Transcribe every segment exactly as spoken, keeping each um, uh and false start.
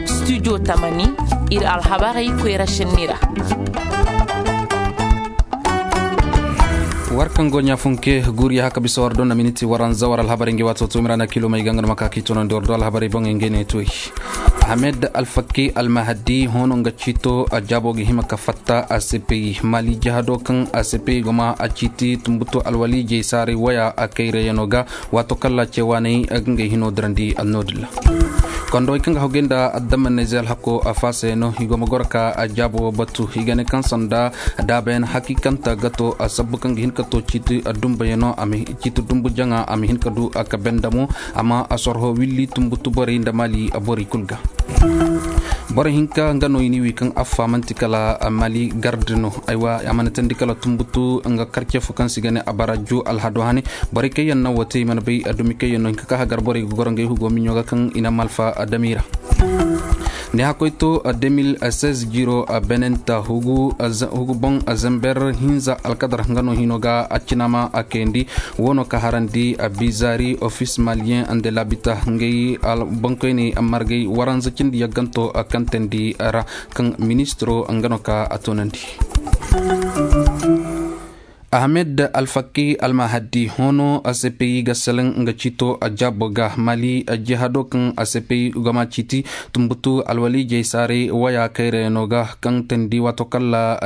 Studio tamani, ir alhabarey koyra šenni ra. War kaŋ go ɲaafunke guuriya haka bisa war do na miniti waranza war alhabarey ngi waato to mirana kilo may ga nga no ma ka k'i tunandi war do alhabarey boŋey ngey ne toy. Ahmed alfaki almahadi hoono nga ciito a jaabo ga hima ka fatta a sepeyi mali jahado kaŋ a sepeyi goma a ciiti tumbutu alwali jey saaray waya a kayrayano ga. Waato kalla ceewaaney a ga ngey hino dirandi annoodilla. Kondowey kaŋ ga hawgay nda addamaney ze alhako a faasayano i go ma goro ka a jaabo batu i ga ne kaŋ sanda daabayan hakiikanta ga to a sabbu kaŋ ga hin ka to ciiti dumbayano a ma ciiti dumbu jaŋa a ma hin ka du a ka bendamo. Amma a sorho willi tumbutu borey nda mali borey kul ga. Boro hinka nga no i ni wi kaŋ affa manti kala mali garde no aywa a mana tandi kala tumbutu nga karce fo kaŋ si ga ne a bara ju alhado hane. Borey kaŋ yaŋ na wo te i mana bay a dumi kaŋ yaŋ no hinka ka hagar borey ga goro ngey hugo miɲo ga kaŋ i na malfa a dami ra. Ne hakoy to deux mille seize jiro a benenta hugu boŋ a zember hinza alkadar nga no hino ga a cinama a kayandi. Wo no ka harandi a bizari office malien de labita ngey boŋkoyney margey waranza cindi yagganto a kantandi ra kaŋ ministiro nga no ka a toonandi. Ahmed alfaki almahadi hoono a sepeyi ga seleŋ nga ciito a jaabo ga mali jihado kaŋ a sepeyi goma ciiti tumbutu alwali jey saaray waya kayrayano ga kaŋ tandi waato kalla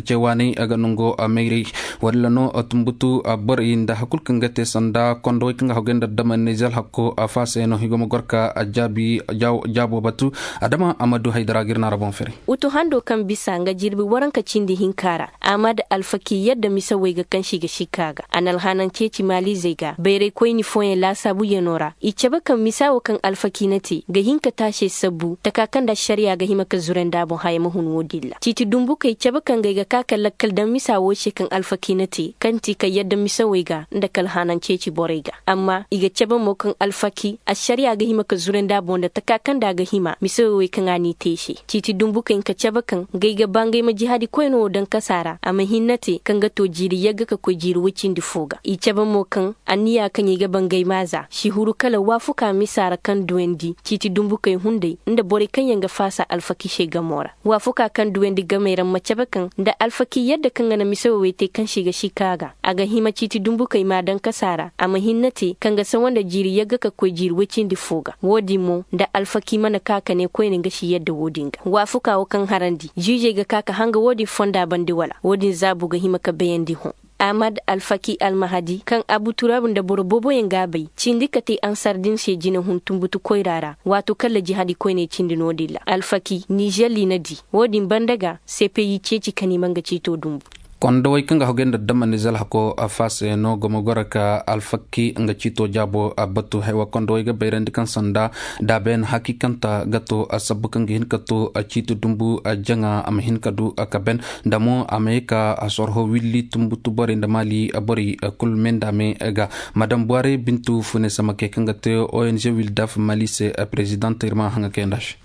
ceewaaney a ga nango a mayray. Walla no tumbutu borey nda hakul kaŋ ga te sanda kondowey kaŋ ga hagay nda dama nizel hakko a faasayano i go ma gor ka a jaabi jaabo batu. Adama amadu haydara ga ir na ra boŋ fere. Utu hando kaŋ bisa nga jirbi waranka cindi hinka ra. Ahmad alfaki yadda misawey ga kaŋ si ga sikka ga a na alhanan ceeci maalizey ga bayraykoyni fooyaŋ laasaabuyanoo ra i cabe kaŋ misa wo kaŋ alfaki na te ga hin ka taase sabbu taka kaŋ nda ašariya ga hima ka zurandi a boŋ haya ma hun wo-din ra ciiti dumbukey cabe kaŋ ga ay ga ka ka lakkal daŋ misa wo se kaŋ alfaki na te kaŋ ti ka yadda misawey ga nda ka alhanan ceeci borey ga amma i ga cabe mo kaŋ alfaki ašariya ga hima ka zurandi a boŋ nda taka kaŋ nda a ga hima misawey wey kaŋ a n'i te i se. Ciiti dumbukey nka cabe kaŋ ga ay ga ba ngey ma jihaadi koyne wo daŋ kasa ra a ma hinne te kaŋ ga to jiiri yagga ka koy jiiri woy cindi fo ga i cabe mo kaŋ anniya kaŋ i ga ba ngey ma a za si huru kala waafuka misa ra kaŋ duwandi ciiti dumbukey hunday nda borey kaŋ yaŋ ga faasa alfaki se gamo ra. Waafuka kaŋ duwandi gamey ra ma cabe kaŋ nda alfaki yadda kaŋ ga na misawey wey te kaŋ se i ga sikka a ga a ga hima ciiti dumbukey ma a daŋ kasa ra a ma hinne te kaŋ ga sawa nda jiiri yagga ka koy jiiri woy cindi fo ga wo-din mo nda alfaki mana ka ka ne koyne nga si yadda wo-din ga waafuka wo kaŋ harandi ziizey ga ka ka hanga wo-din fonda bande wala wo-din zaabu ga hima ka bayandi hõ. Ahmad alfaki almahadi kaŋ abu turaabu nda boro booboyaŋ ga a bay cindi ka te ansar din se jinehun tumbutu koyra ra. Waato kalla jihaadi koyney cindi no-din ra alfaki nizer liina di wo-din banda ga sepeyi ceeci ka ni ma nga ciito dumbu. Kondowey kaŋ ga hagay nda dama nizer hako a faasayano go ma goro ka alfaki nga ciito jaabo a batu haywa kondowey ga bayrandi kaŋ sanda daabayan hakiikanta ga to a sabbu kaŋ ga hin ka to a ciiti dumbu a jaŋa a ma hin ka du a ka ben nda mo a ma ye ka a sorho willi tumbutu borey nda maali borey kul me nda me ga. Madam buware bintu fune samake kaŋ ga te ong wildaf maali se. Prezident ir ma haŋa kay nda se.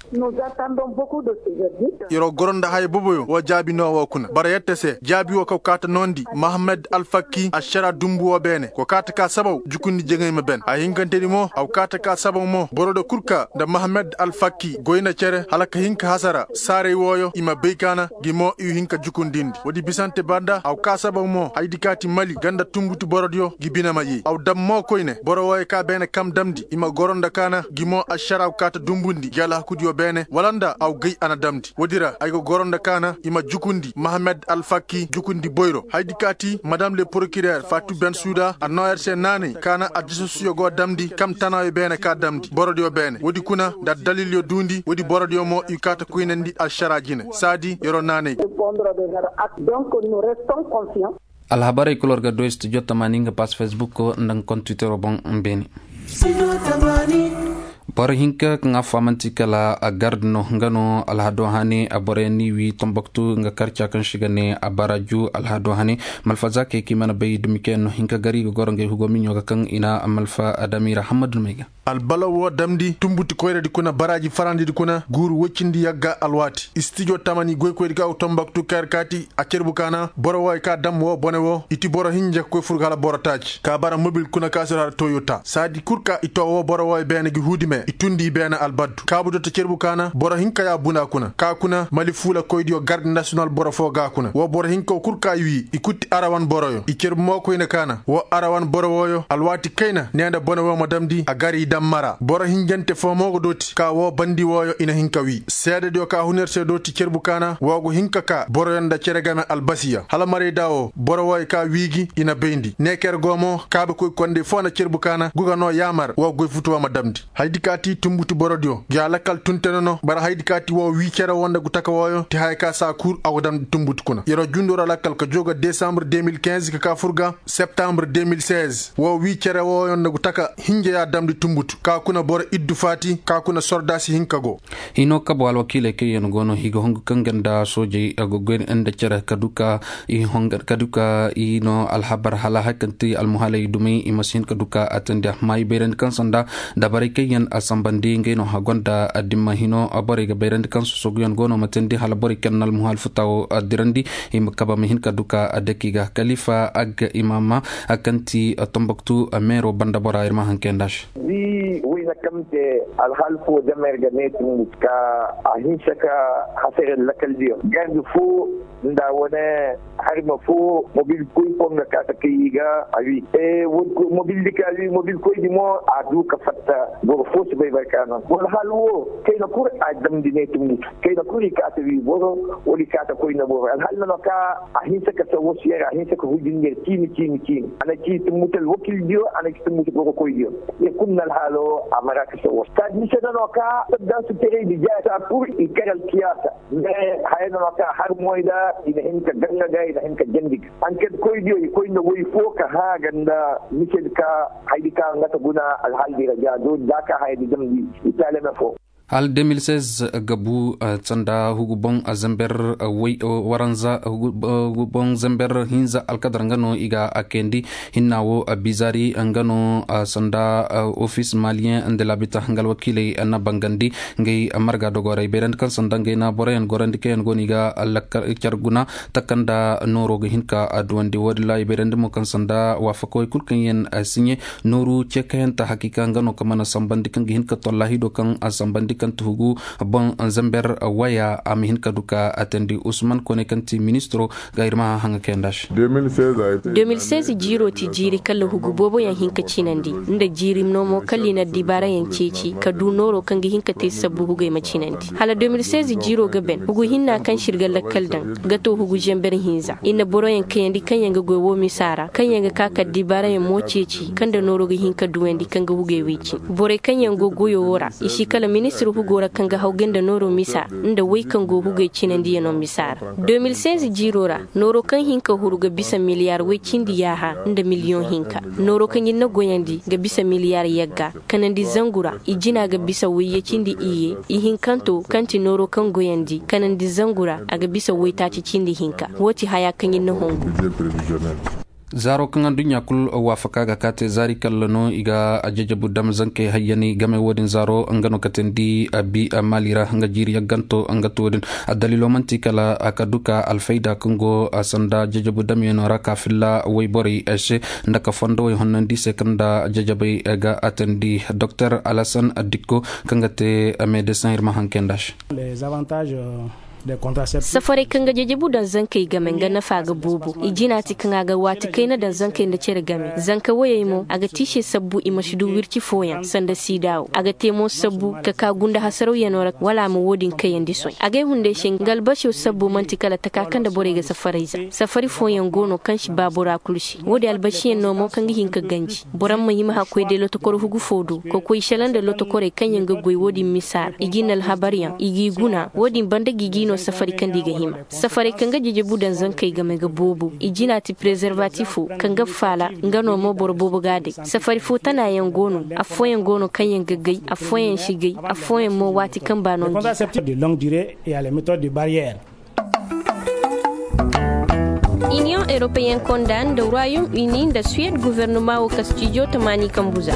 Ir wo goro nda haya boboyo wo jaabi no wo kuna bara yette se jaabi wo kaw kaata noondi mahamed alfakki ašara dumbu wo beene ko kaata ka sabaw jukundi jeŋay ma ben a hinkantedi mo aw kaata ka sabaw mo boro da kul ka nda mahamed alfakki goy nda cere hala ka hin ka hasara saaray wooyo i ma bay kaana gi mo i hin ka jukundindi woodi bisante banda aw ka sabaw mo haydi kaati mali ganda tumbutu borodiyo gi bine ma yey aw dam mo koyne boro wooyo ka beene kam damndi i ma goro nda kaana gi mo ašara aw kaata dumbundi gi alhakudiyo beene wala nda aw gay a na damndi woodi ra ay ga goro nda kaana i ma jukundi mahamed alfakki jukundi boyro haydi kaati madam le prokirer faatu bensuda a noo yer se naanay kaana aljasusuyo go damndi kam tanaayo beene ka damndi borodiyo beene woodi kuna nda addalilyo duundi woodi borodiyo mo i kaata koynandi ašara jine saadi yeroo naanay. Alhabarey kul war ga doy studio tamaani nga pass facebook nda nga kontu twitter boŋ. Beeni. Boro hinka kaŋ a faamanti kala a garde no nga no alhado hane a boroyaŋ ni wi tomboktu nga karca kaŋ si ga ne a baraju alhado hane. Malfaza kay kaŋ i mana bay dumi kaŋ yaŋ no hinka gari ga goro ngey hugo miɲo ga kaŋ i na malfa adami ra hammadu no may ga. Albalaw wo damndi tumbuti koyradi kuna baraaji farandidi kuna guuru woy cindi yagga alwaati istijo tamani goykoydi kaŋ tombaktu kayar kaati a cerbu kaana boro wooyo ka dam woo bone woo i ti boro hinja ka koy fur ga hala boro taaci ka bara mobil kuna ka sir har toyota saadi kul ka i too woo boro wooyo beene gi huudi. I tundi i beene albaddu kaabu dotti cerbu kaana boro hinka ya buna kuna ka kuna mali fuula koydiyo garde nasiyonal boro foo ga kuna woo boro hinka kul ka i wii i kutti arawan boroyo i cerbu mo koyne kaana woo arawan boro wooyo alwaati kayna nee nda bone woo ma damndi a gar i daŋ mara boro hinjante foo mo ga dooti ka woo bandi wooyo i na hin ka wii seedediyo ka huner se dooti cerbu kaana woo go hin ka kaa boroyo nda cere game albasiya hala maray da woo boro wooyo ka wii gi i na bayndi neeker go mo kaabekoy kondey foo na cerbu kaana go ga noo yaamar woo goy futu woo ma damndi hayadi ka ti tunbutu borodiyo gi a lakkal tun te nono bara hayadi ka ti woo wii cere woo nda gu taka wooyo ti haya ka saa kul a go damndi tunbutu kuna yer'o jundu ra lakkal ka joo ga desambre deux mille quinze ka kaa fur ga septambre deux mille seize woo wii cere wooyo nda gu taka hinja ya damndi tunbutu ka kuna boro iddu faati ka kuna sordaasi hinka go. Hino kabo alwakiiley kaŋ yaŋ go no i ga hongu kaŋ ga nda soojey a ga goy nda cere ka du ka i hongar ka du ka i no alhabar hala hari kaŋ ti almuhaaley dumey i ma si hin ka du ka a tandi amma i bayrandi kaŋ sanda dabarey kaŋ yaŋ a sambandi ngey no a gonda dimma hino borey ga bayrandi kaŋ sosoguyaŋ go no ma tandi hala borey kaŋ na almuhaal futa wo dirandi i ma kaba ma hin ka du ka a daki ga kalifa agga imaama kaŋ ti tomboktu meero banda bora ir ma haŋ kay nda se. Di wayna kaŋ te alhaal fo damer ga ne tungu ka a hinsa ka hasare lakaldiyo gardi fo nda wane harima fo mobil koy fo nga ka ta kay ga a wi mobil di ka wi mobil koy di mo a du ka fatta boro fo si bay barka no boro hal wo kayna kul a damdi ne tungu kayna kul i ka ta wi boro wala i ka ta koyna boro alhal no ka a hinsa ka sa wasu yara a hinsa ka hujin yar kini kini kini ana ki tungu tal wakil diyo ana ki tungu boro koy diyo ya kunna alhalo a mara ka sa wasu ta disa no ka da su tere di ja ta kul i karal kiyasa mais haya no ka har moy da i na hin ka ganga ga i na hin ka jandi ga an ked koy diyo i koy na way fo ka ha ganda mised ka haydi ka nga ta guna alhal di ra ja do da ka haydi damdi i talame fo. Hala deux mille seize ga bu sanda hugu boŋ zember way waranza hugu boŋ zember hinza alkadar nga no i ga a kayandi hinna wo bizari nga no sanda office malien nda labita nga alwakiiley na bangandi ngay marga dogoray bayrandi kaŋ sanda ngay na boroyaŋ gorandi kaŋ yaŋ go no i ga car guna taka nda nooro ga hin ka duwandi wo- din ra i bayrandi mo kaŋ sanda waafakawey kul kaŋ yaŋ siɲe nooru ce kayanta hakiika nga no kaŋ mana sambandi kaŋ ga hin ka tolla hido kaŋ a sambandi kaŋ ti hugu boŋ zember waya a ma hin ka du ka a tandi usman kone kaŋ ti ministiro ga ir ma haŋ kayanda se. Deux mille seize jiiro ti jiiri kala hugu boobo yaŋ hin ka cinandi nda jiiri no mo kala i na dibaara yaŋ ceeci ka du nooro kaŋ ga hin ka te sabbu hugey ma cinandi hala deux mille seize jiiro ga ben hugu hinna kaŋ se ir ga lakkal daŋ ga to hugu zember hinza i na boroyaŋ kayandi kaŋ yaŋ ga goy wo misa ra kaŋ yaŋ ga ka ka dibaarayaŋ mo ceeci kaŋ nda nooro ga hin ka duwandi kaŋ ga hugey wey cin borey kaŋ yaŋ go goyo wo ra i si kala ministir hugo ra kaŋ ga haw ga nda nooro misa nda wey kaŋ go hugey cinandiyano misa ra deux mille seize jiiro ra nooro kaŋ hin ka huru ga bisa miliyar way cindi yaaha nda miliyoŋ hinka nooro kaŋ ir na goyandi ga bisa miliyar yagga kanandi zangu ra i jina ga bisa wayye cindi iyye ihinkanto kaŋ ti nooro kaŋ goyandi kanandi zangu ra a ga bisa waytaaci cindi hinka wo ti haya kaŋ ir na hongu. Zaaro kaŋ adduɲɲa kul waafaka ga ka te zaari kalla no i ga jajabu dam zankey hayyani game wo-din zaaro nga no katandi bi maali ra nga jiiri yagganto nga to wo-din. Addaliilo man'ti kala ka du ka alfayda kaŋ go sanda jajabu damyaŋo ra ka filla wayborey se nda ka fondowey honnandi se kaŋ nda jajabey ga atandi doktor alasan dikko kaŋ ga te medesin ir ma haŋ kay nd'a se. Safarey kaŋ ga jajabu daŋ zankey game nga nafa ga boobo i jina ti kaŋ a ga waati kayna daŋ zankey nda cere game zanka woyey mo a ga te i se sabbu i ma si du wirci fooyaŋ sanda siida wo a ga te mo sabbu ka ka gunda hasarawyanoo ra wala a ma wo-din kayandi soy agay hunday se nga albasiyo sabbu man'ti kala taka kaŋ nda borey ga safarayza safari fooyaŋ go no kaŋ si ba bora kulu se wo-din albasiyaŋ no mo kaŋ ga hin ka ganji boro ma hima hakkoy day lotokor hugu fo do ka koy selaŋ nda lotokorey kaŋ yaŋ ga goy wo-din misa ra i ga i na alhabaryaŋ i g'i guna wo-din banda ga i g'i no safari kaŋ nda i ga hima safarey kaŋ ga jejebu daŋ zankey game ga boobo i jina ti prezervatifo kaŋ ga faala nga no mo boro boobo ga a day safari fo tana yaŋ go no affooyaŋ go no kaŋ yaŋ ga gay affooyaŋ si gay affooyaŋ mo waati kaŋ ba no ngi. Iniyoŋ eropeyen konda nda royom uni nda suwed guvernoma wo ka stijo tamaani kambuza.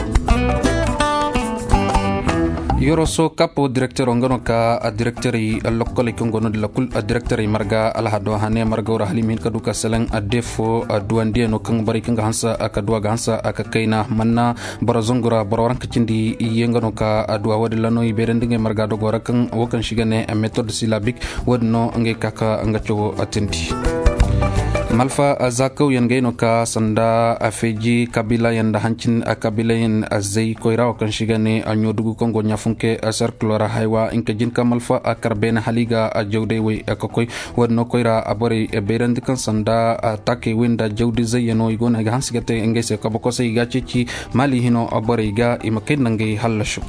Yoroso kapo direktero nga no ka a direkterey lokkoley kaŋ go no di lakul a direkterey marga alhado hane margaw ra hala i ma hin ka du ka seleŋ a defo a duwandiyaŋo kaŋ borey kaŋ ga hanse a ka duwa ga hanse a ka kayna manna boro zangu ra boro waranka cindi iyye nga no ka a duwa wo- din ra no i beerandi ngey marga dogo ra kaŋ wo kaŋ si ga ne metod silabik. Wo- din no ngey ka ka nga cawo tindi. Malfa zakawyaŋ gay no ka sanda a feeji kabilayaŋ nda hancin kabilayaŋ zay koyra wo kaŋ si ga ne a ɲoodugu kaŋ go ɲaafunke serkilo ra haywa hinka jin ka malfa a kar beene hala i ga a jawday way ka koy. Wo- din no koyra a borey bayrandi kaŋ sanda a taakey way nda jawdi zayyaŋo i go no ay ga hanse ga te ngey se kabakosey i ga a ceeci maali hino borey ga i ma kay nda ngey hallasu.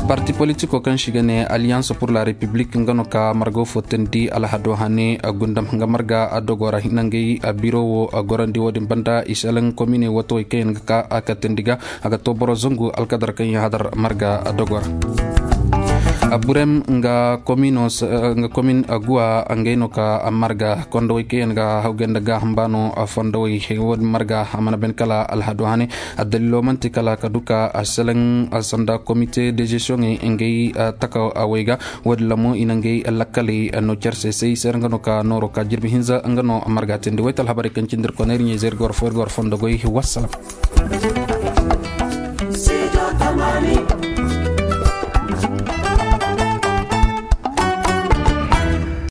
Parti politiko kaŋ si ga ne alliance pour la république nga no ka margo fo tandi alhado hane gundam nga marga a dogo ra hina ngey a biro wo a gorandi wo- din banda i selaŋ komine wato way kaŋ yaŋ ga ka a ka tandi ga a ga to boro zangu alkadar kaŋ yaŋ hadar marga a dogo ra. Burem nga komino nga komin guwa ngey no ka marga kondowey kaŋ yaŋ ga hawgay nda gaaham baano fondowey wo- din marga a mana ben kala alhado hane. Addalilo man'ti kala ka du ka a seleŋ sanda komite de gestion ŋey ngey taka awey ga. Wo- din ra mo i na ngey lakkaley no care se se i se ra nga no ka nooro ka jirbi hinza nga no marga tindi wayta alhabarey kaŋ cindi ir kona ir ɲey zey ir ga war fo ir ga war fondo goy. Wassalam.